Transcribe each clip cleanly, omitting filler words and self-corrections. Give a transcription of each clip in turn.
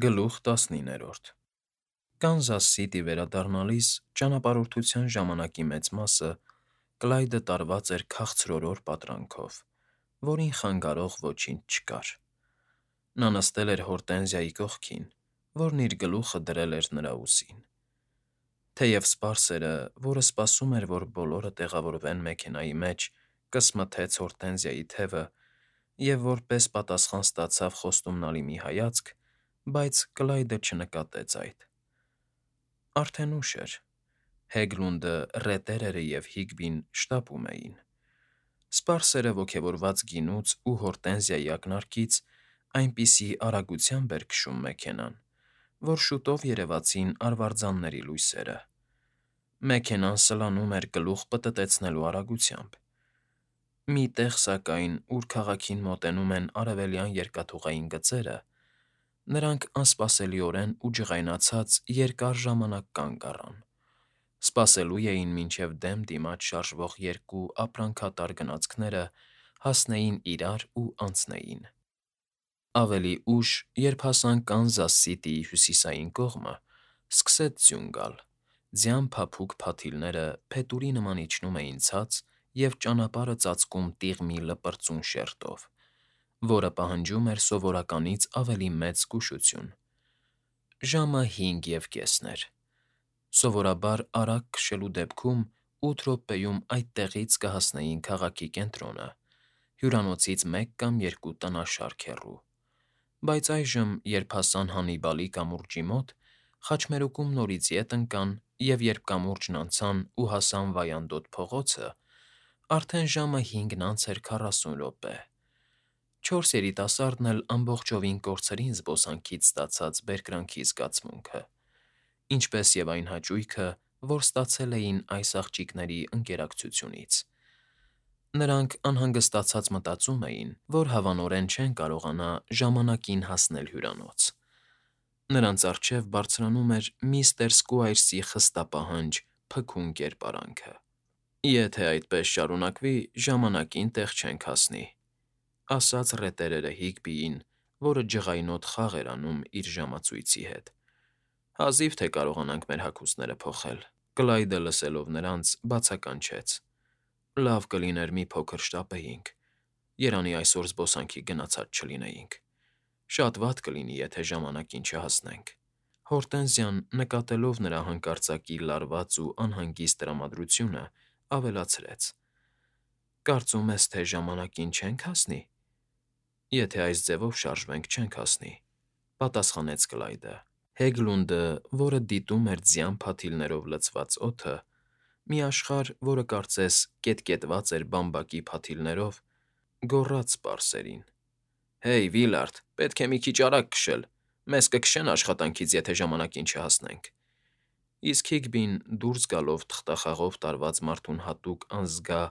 Գլուխ 19 Կանզաս Սիթի վերադառնալիս ճանապարհորդության ժամանակի մեծ մասը Կլայդը տարված էր քաղցրորոր պատրանքով, որին խանգարող ոչինչ չկար։ Նա նստել էր Հորտենզիայի կողքին, որն իր գլուխը դրել էր նրա ուսին։ Թեև սպարսերը, որը սպասում էր, որ բոլորը տեղավորվեն մեքենայի մեջ, կսմթեց Հորտենզիայի թևը և որպես պատասխան ստացավ խոստումնալի մի հայացք, բայց Կլայդը չնկատեց այդ։ Արդեն ուշ էր։ Հեգլունդը, Ռետերերը և Հիգբին շտապում էին։ Սպարսերը ոգևորված գինուց ու Հորտենզիայի ակնարկից այնպիսի արագությամբ էր քշում մեքենան, որ շուտով երևացին արվարձանների լույսերը։ Մեքենան սլանում էր գլուխ պտտեցնելու արագությամբ։ Մի տեղ, սակայն, ուր քաղաքին մոտենում են արևելյան երկաթուղային գծերը, նրանք անսպասելիորեն ու ջղայնացած երկար ժամանակ կանգ առան, սպասելու էին, մինչև դեմ դիմաց շարժվող երկու ապրանքատար գնացքները հասնեին իրար ու անցնեին։ Ավելի ուշ, երբ հասան Կանզաս Սիթիի հյուսիսային կողմը, սկսեց ձյուն գալ, ձյան փափուկ փաթիլները փետուրի նման իջնում էին ցած և ճանապարհը ծածկում տիղմի լպրծուն շերտով, որը պահանջում էր սովորականից ավելի մեծ զգուշություն։ Ժամը 5:30 էր։ Սովորաբար արագ քշելու դեպքում 8 րոպեում այդ տեղից կհասնեին քաղաքի կենտրոնը, հյուրանոցից մեկ կամ երկու տնաշարք հեռու։ Բայց այժմ, երբ հասան Հանիբալի կամուրջի մոտ, խաչմերուկում նորից ետ ընկան, և երբ կամուրջն անցան ու հասան Վայանդոտ փողոցը, արդեն ժամը 5:40 էր։ Չորս երիտասարդն էլ ամբողջովին կորցրին զբոսանքից ստացած բերկրանքի զգացմունքը, ինչպես և այն հաճույքը, որ ստացել էին այս աղջիկների ընկերակցությունից։ Նրանք անհանգստացած մտածում էին, որ հավանորեն չեն կարողանա ժամանակին հասնել հյուրանոց։ Նրանց առջև բարձրանում էր միստր Սքուայրսի խստապահանջ, փքուն կերպարանքը։ «Եթե այդպես շարունակվի, ժամանակին տեղ չենք հասնի», ֊ ասաց Ռետերերը Հիգբիին, որը ջղայնոտ խաղ էր անում իր ժամացույցի հետ։ «Հազիվ թե կարողանանք մեր հագուստները փոխել»։ Կլայդը, լսելով նրանց, բացականչեց. «Լավ կլիներ մի փոքր շտապեինք, երանի այսօր զբոսանքի գնացած չլինեինք։ Շատ վատ կլինի, եթե ժամանակին չհասնենք»։ Հորտենզիան, նկատելով նրա հանկարծակի լարված ու անհանգիստ տրամադրությունը, ավելացրեց. «Կարծում ես, թե ժամանակին չենք հասնի»։ «Եթե այս ձևով շարժվենք, չենք հասնի», ֊ պատասխանեց Կլայդը։ Հեգլունդը, որը դիտում էր ձյան փաթիլներով լցված օդը, մի աշխարհ, որը կարծես կետկետված էր բամբակի փաթիլներով, գոռաց սպարսերին. «Հեյ, Վիլարդ, պետք է մի քիչ արագ քշել, մեզ կքշեն աշխատանքից, եթե ժամանակին չհասնենք»։ Իսկ Հիգբին, դուրս գալով թղթախաղով տարված մարդուն հատուկ անզգա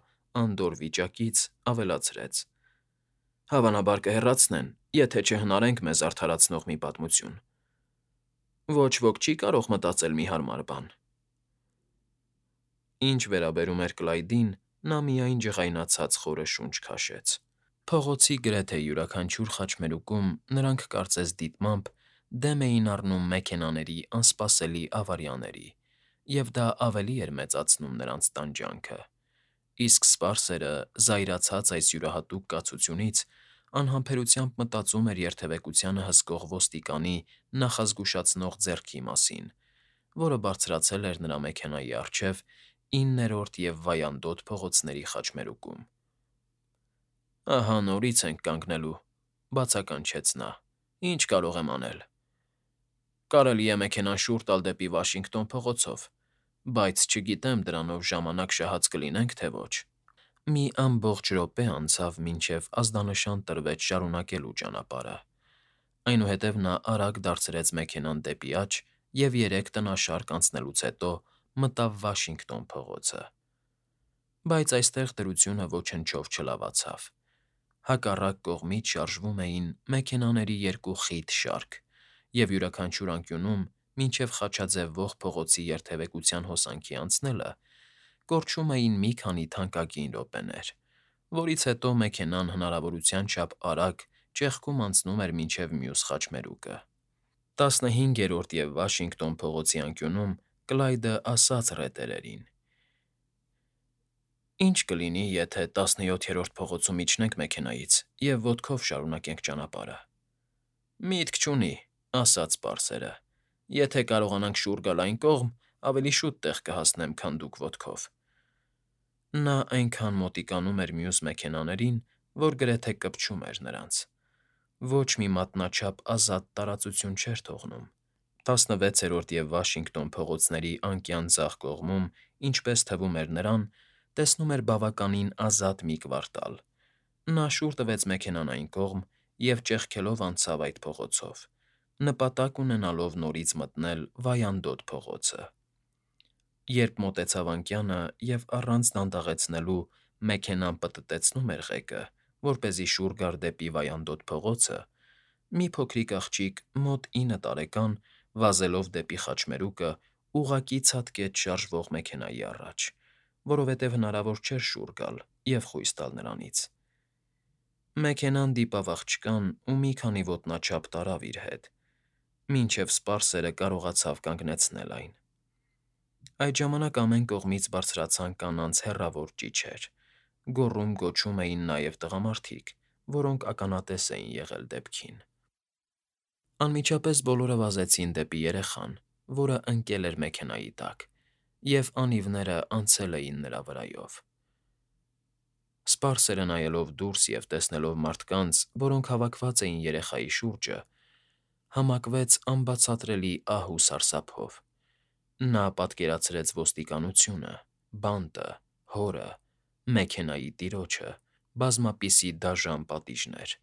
անդորր վիճակից, ավելացրեց. «Հավանաբար կհեռացնեն, եթե չհնարենք մեզ արդարացնող մի պատմություն։ Ոչ ոք չի կարող մտածել մի հարմար բան»։ Ինչ վերաբերում էր Կլայդին, նա միայն ջղայնացած խորը շունչ քաշեց։ Փողոցի գրեթե յուրաքանչյուր խաչմերուկում նրանք կարծես դիտմամբ դեմ էին առնում մեքենաների անսպասելի ավարիաների, և դա ավելի էր մեծացնում նրանց տանջանքը։ Իսկ սպարսերը, զայրացած այս յուրահատուկ կացությունից, անհամբերությամբ մտածում էր երթևեկությանը հսկող ոստիկանի նախազգուշացնող ձեռքի մասին, որը բարձրացել էր նրա մեքենայի առջև 9-րդ և Վայանդոտ փողոցների խաչմերուկում։ «Ահա նորից ենք կանգնելու», ֊ բացականչեց նա։ «Ինչ կարող եմ անել»։ «Կարելի է մեքենան շուռ տալ դեպի Վաշինգտոն փողոցով, բայց չգիտեմ դրանով ժամանակ շահած կլինենք, թե ոչ»։ Մի ամբողջ րոպե անցավ, մինչև ազդանշան տրվեց շարունակելու ճանապարհը։ Այնուհետև նա արագ դարձրեց մեքենան դեպի աջ և 3 տնաշարք անցնելուց հետո մտավ Վաշինգտոն փողոցը։ Բայց այստեղ դրությունը ոչնչով չլավացավ։ Հակառակ կողմից շարժվում էին մեքենաների երկու խիտ շարք, և յուրաքանչյուր անկյունում, մինչև խաչաձևվող փողոցի երթևեկության հոսանքի անցնելը, կորչում էին մի քանի թանկագին րոպեներ, որից հետո մեքենան հնարավորության չափ արագ ճեղքում անցնում էր մինչև մյուս խաչմերուկը։ 15-րդ և Վաշինգտոն փողոցի անկյունում Կլայդը ասաց ռետերերին. «Ի՞նչ կլինի, եթե 17-րդ փողոցում իջնենք մեքենայից և ոտքով շարունակենք ճանապարհը»։ «Միտք չունի,֊ ասաց պարսերը,֊ եթե կարողանանք շուռ գալ այն կողմ, ավելի շուտ տեղ կհասնեմ, քան դուք ոտքով»։ Նա այնքան մոտիկանում էր մյուս մեքենաներին, որ գրեթե կպչում էր նրանց. ոչ մի մատնաչափ ազատ տարածություն չէր թողնում։ 16-րդ և Վաշինգտոն փողոցների անկյան ձախ կողմում, ինչպես թվում էր նրան, տեսնում էր բավականին ազատ մի կվարտալ։ Նա շուռ տվեց մեքենան այն կողմ և ճեղքելով անցավ այդ փողոցով, նպատակ ունենալով նորից մտնել Վայանդոտ փողոցը։ Երբ մոտեցավ անկյանը և առանց դանդաղեցնելու մեքենան պտտեցնում էր ղեկը, որպեսզի շուռ գար դեպի Վայանդոտ փողոցը, մի փոքրիկ աղջիկ մոտ 9 տարեկան, վազելով դեպի խաչմերուկը, ուղղակի ցատկեց շարժվող մեքենայի առաջ, որովհետև հնարավոր չէր շուռ գալ և խույս տալ նրանից։ Մեքենան դիպավ աղջկան ու մի քանի ոտնաչափ տարավ իր հետ, մինչև սպարսերը կարողացավ կանգնեցնել այն։ Այդ ժամանակ ամեն կողմից բարձրացան կանանց հեռավոր ճիչեր, գոռում֊գոչում էին նաև տղամարդիկ, որոնք ականատես էին եղել դեպքին։ Անմիջապես բոլորը վազեցին դեպի երեխան, որը ընկել էր մեքենայի տակ, և անիվները անցել էին նրա վրայով։ Սպարսերը նայելով դուրս և տեսնելով մարդկանց, որոնք հավաքված էին երեխայի շուրջը, համակվեց անբացատրելի ահ ու սարսափով։ Նա պատկերացրեց ոստիկանությունը, բանտը, հորը, մեքենայի տիրոջը, բազմապիսի դաժան պատիժներ։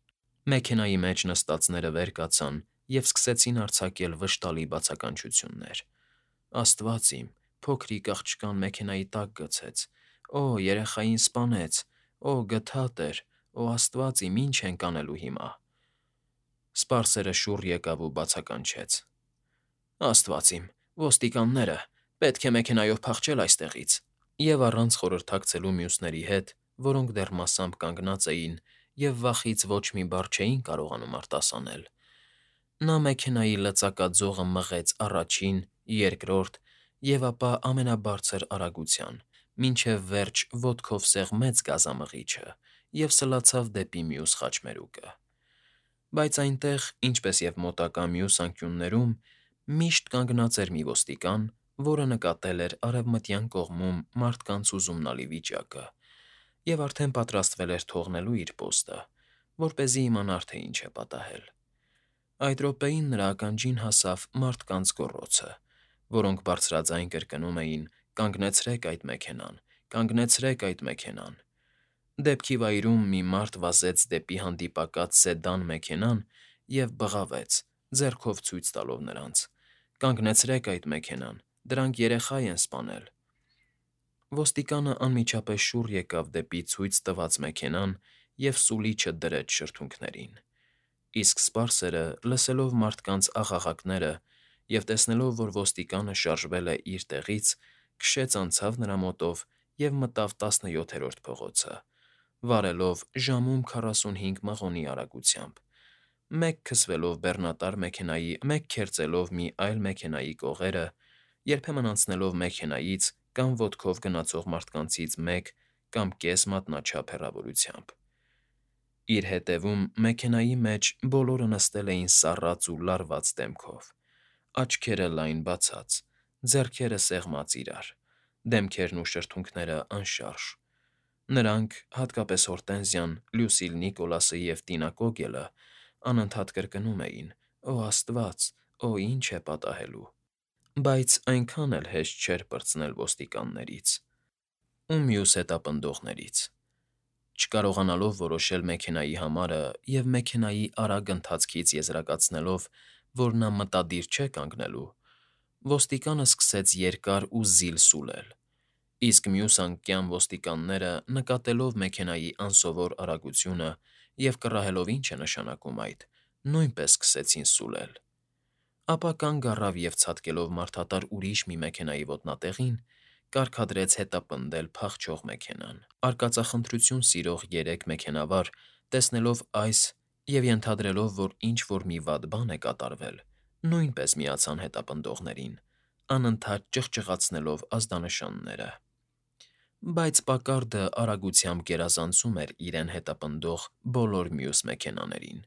Մեքենայի մեջ նստածները վեր կացան և սկսեցին արձակել վշտալի բացականչություններ. «Աստված իմ, փոքրիկ աղջկան մեքենայի տակ գցեց», «Օ, երեխային սպանեց», «Օ, գթա տեր», «Օ, աստված իմ, ի՞նչ ենք անելու հիմա»։ Սպարսերը շուռ եկավ ու բացականչեց. «Աստված իմ, ոստիկանները, պետք է մեքենայով փախչել այստեղից»։ Եվ առանց խորհրդակցելու մյուսների հետ, որոնք դեռ մասամբ կանգնած էին և վախից ոչ մի բառ չէին կարողանում արտասանել, նա մեքենայի լծակաձողը մղեց առաջին, երկրորդ և ապա ամենաբարձր արագության, մինչև վերջ ոտքով սեղմեց գազամղիչը և սլացավ դեպի մյուս խաչմերուկը։ Բայց այնտեղ, ինչպես և մոտակա մյուս անկյուններում, միշտ կանգնած էր մի ոստիկան, որը նկատել էր արևմտյան կողմում մարդկանց հուզումնալի վիճակը և արդեն պատրաստվել էր թողնելու իր պոստը, որպեսզի իմանար, թե ինչ է պատահել։ Այդ րոպեին նրա ականջին հասավ մարդկանց գոռոցը, որոնք բարձրաձայն կրկնում էին. «Կանգնեցրե՛ք այդ մեքենան, կանգնեցրե՛ք այդ մեքենան»։ Դեպքի վայրում մի մարդ վազեց դեպի հանդիպակաց սեդան մեքենան և բղավեց, ձեռքով ցույց տալով նրանց. «Կանգնեցրե՛ք այդ մեքենան, դրանք երեխա են սպանել»։ Ոստիկանը անմիջապես շուռ եկավ դեպի ցույց տված մեքենան և սուլիչը դրեց շրթունքներին։ Իսկ սպարսերը, լսելով մարդկանց աղաղակները և տեսնելով, որ ոստիկանը շարժվել է իր տեղից, քշեց անցավ նրա մոտով և մտավ 17-րդ փողոցը, վարելով ժամում 45 մղոնի արագությամբ, մեկ քսվելով բեռնատար մեքենայի, մեկ քերծելով մի այլ մեքենայի կողերը, երբեմն անցնելով մեքենայից կամ ոտքով գնացող մարդկանցից մեկ կամ կես մատնաչափ հեռավորությամբ։ Իր հետևում մեքենայի մեջ բոլորը նստել էին սառած ու լարված դեմքով, աչքերը լայն բացած, ձեռքերը սեղմած իրար, դեմքերն ու շրթունքները անշարժ։ Նրանք, հատկապես Հորտենզիան, Լյուսիլ Նիկոլասը և Տնա Կոգելը, անընդհատ կրկնում էին. «Օ աստված, օ, ի՜նչ է պատահելու»։ Բայց այնքան էլ հեշտ չէր պրծնել ոստիկաններից ու մյուս հետապնդողներից։ Չկարողանալով որոշել մեքենայի համարը և մեքենայի արագ ընթացքից եզրակացնելով, որ նա մտադիր չէ կանգնելու, ոստիկանը սկսեց երկար ու զիլ սուլել, իսկ մյուս անկյան ոստիկանները, նկատելով մեքենայի անսովոր արագությունը և կռահելով ինչ է նշանակում այդ, նույնպես սկսեցին սուլել։ Ապա կանգ առավ և ցատկելով մարդատար ուրիշ մի մեքենայի ոտնատեղին, կարգադրեց հետապնդել փախչող մեքենան։ Արկածախնդրություն սիրող երեք մեքենավար, տեսնելով այս և ենթադրելով, որ ինչ֊որ մի վատ բան է կատարվել, նույնպես միացան հետապնդողներին, անընդհատ ճղճղացնելով ազդանշանները։ Բայց Պակարդը արագությամբ գերազանցում էր իրեն հետապնդող բոլոր մյուս մեքենաներին,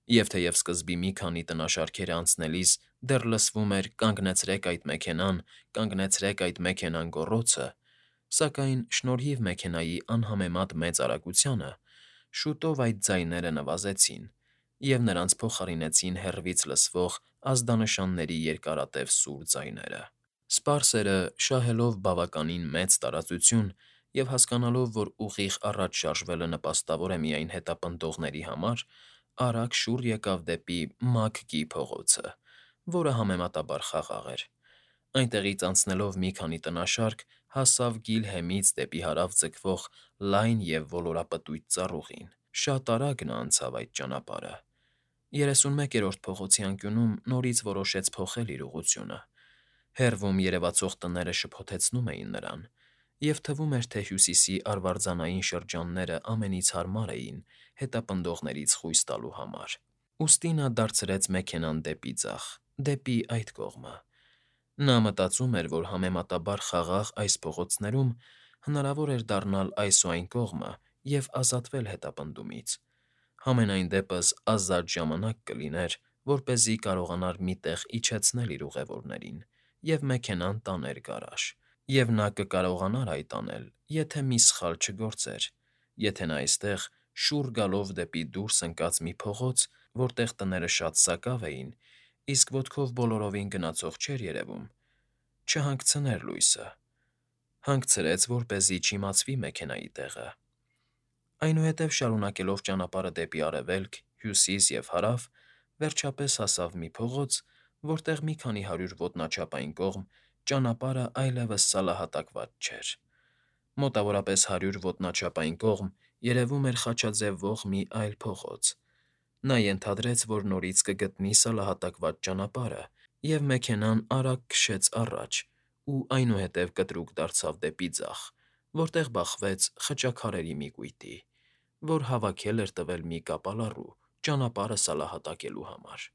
և թեև սկզբի մի քանի տնաշարքերը անցնելիս դեռ լսվում էր «Կանգնեցրեք այդ մեքենան, կանգնեցրեք այդ մեքենան» գոռոցը, սակայն շնորհիվ մեքենայի անհամեմատ մեծ արագությանը շուտով այդ ձայները նվազեցին, և նրանց փոխարինեցին հեռվից լսվող ազդանշանների երկարատև սուր ձայները։ Սպարսերը, շահելով բավականին մեծ տարածություն և հասկանալով, որ ուղիղ առաջ շարժվելը նպաստավոր է միայն հետապնդողների համար, արագ շուռ եկավ դեպի Մագգի փողոցը, որը համեմատաբար խաղաղ էր։ Այնտեղից անցնելով մի քանի տնաշարք հասավ Գիլհեմից դեպի հարավ ձգվող լայն և ոլորապտույտ ծառուղին։ Շատ արագ նա անցավ այդ ճանապարհը։ 31-րդ փողոցի անկյունում նորից որոշեց փոխել իր ուղղությունը։ Հեռվում երևացող տները շփոթեցնում էին նրան, և թվում էր, թե Հյուսիսի արվարձանային շրջանները ամենից հարմար էին հետապնդողներից խույս տալու համար։ Ուստի նա դարձրեց մեքենան դեպի ձախ, դեպի այդ կողմը։ Նա մտածում էր, որ համեմատաբար խաղաղ այս փողոցներում հնարավոր էր դառնալ այս ու այն կողմը և ազատվել հետապնդումից։ Համենայն դեպս ազատ ժամանակ կլիներ, որպեսզի կարողանար մի տեղ իջեցնել իր ուղևորներին և մեքենան տաներ գարաժ։ Եվ նա կկարողանար այդ անել, եթե մի սխալ չգործեր, եթե նա այստեղ, շուռ գալով դեպի դուրս ընկած մի փողոց, որտեղ տները շատ սակավ էին, իսկ ոտքով բոլորովին գնացող չէր երևում, չհանգցներ լույսը։ Հանգցրեց, որպեսզի չիմացվի մեքենայի տեղը։ Այնուհետև շարունակելով ճանապարհը դեպի արևելք, հյուսիս և հարավ, վերջապես հասավ մի փողոց, որտեղ մի քանի հարյուր ոտնաչափ այն կողմ ճանապարհը այլևս սալահատակված չէր։ Մոտավորապես 100 ոտնաչափ այն կողմ երևում էր խաչաձևվող մի այլ փողոց։ Նա ենթադրեց, որ նորից կգտնի սալահատակված ճանապարհը, և մեքենան արագ քշեց առաջ ու այնուհետև կտրուկ դարձավ դեպի ձախ, որտեղ բախվեց խճաքարերի մի կույտի, որ հավաքել էր տվել մի կապալառու ճանապարհը սալահատակելու համար։